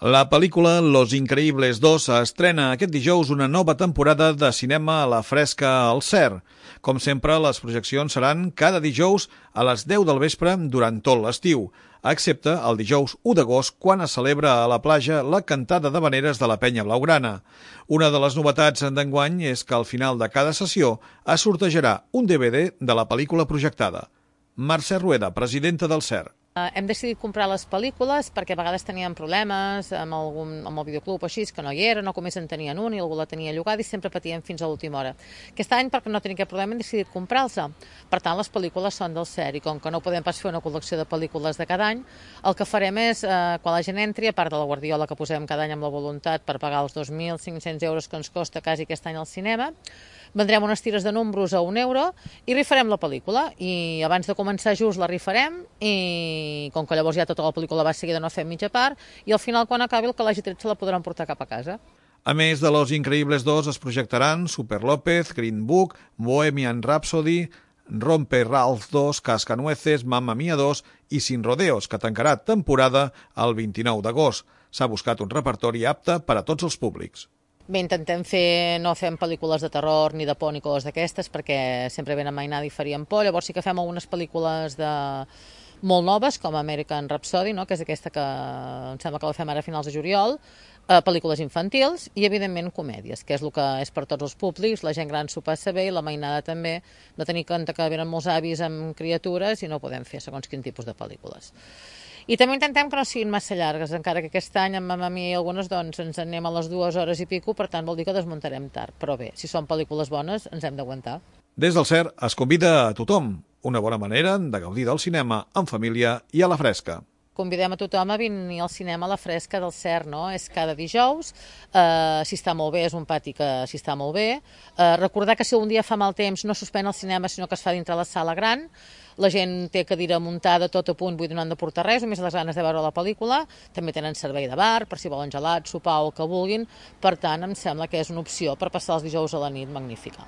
La pel·lícula Los Increíbles 2 estrena aquest dijous una nova temporada de cinema a la fresca al CER. Com sempre, les projeccions seran cada dijous a les 10 del vespre durant tot l'estiu, excepte el dijous 1 d'agost, quan es celebra a la platja la cantada d'havaneres de la Penya Blaugrana. Una de les novetats d'enguany és que al final de cada sessió es sortejarà un DVD de la pel·lícula projectada. Mercè Rueda, presidenta del CER. Hem decidit comprar les pel·lícules perquè a vegades teníem problemes amb el videoclub o així, que no hi era, no com en tenien un i algú la tenia llogada i sempre patíem fins a l'última hora. Aquest any, perquè no tenim aquest problema, hem decidit comprar-los. Per tant, les pel·lícules són del CER i com que no podem pas fer una col·lecció de pel·lícules de cada any, el que farem és, quan la gent entri, a part de la guardiola que posem cada any amb la voluntat per pagar els 2.500 euros que ens costa quasi aquest any al cinema, vendrem unes tires de números a €1 i rifarem la pel·lícula. I abans de començar just la rifarem i com que llavors ja tota la pel·lícula va seguida no fem mitja part i al final quan acabi el que l'hagi tret se la podran portar cap a casa. A més de Los Increíbles 2 es projectaran Super López, Green Book, Bohemian Rhapsody, Rompe Ralph 2, Cascanueces, Mamma Mia 2 i Sin Rodeos, que tancarà temporada el 29 d'agost. S'ha buscat un repertori apte per a tots els públics. Bé, no fem pel·lícules de terror ni de por ni coses d'aquestes perquè sempre ben amainada i faríem por, llavors sí que fem algunes pel·lícules molt noves com American Rhapsody, no? Que és aquesta que em sembla que la fem ara a finals de juliol, pel·lícules infantils i evidentment comèdies, que és el que és per tots els públics, la gent gran s'ho passa bé i la mainada també, no tenir en compte que venen molts avis amb criatures i no podem fer segons quin tipus de pel·lícules. I també intentem que no siguin massa llargues, encara que aquest any amb Mamma Mia i algunes doncs ens anem a les 2 hores i pico, per tant vol dir que desmuntarem tard. Però bé, si són pel·lícules bones ens hem d'aguantar. Des del CER es convida a tothom, una bona manera de gaudir del cinema en família i a la fresca. Convidem a tothom a venir al cinema a la fresca del CER, no? És cada dijous, si està molt bé, és un pati que si està molt bé. Recordar que si un dia fa mal temps no suspèn el cinema, sinó que es fa dintre la sala gran. La gent té cadira muntada tot a punt, vull dir, no han de portar res, només les ganes de veure la pel·lícula. També tenen servei de bar, per si volen gelat, sopar o el que vulguin. Per tant, em sembla que és una opció per passar els dijous a la nit magnífica.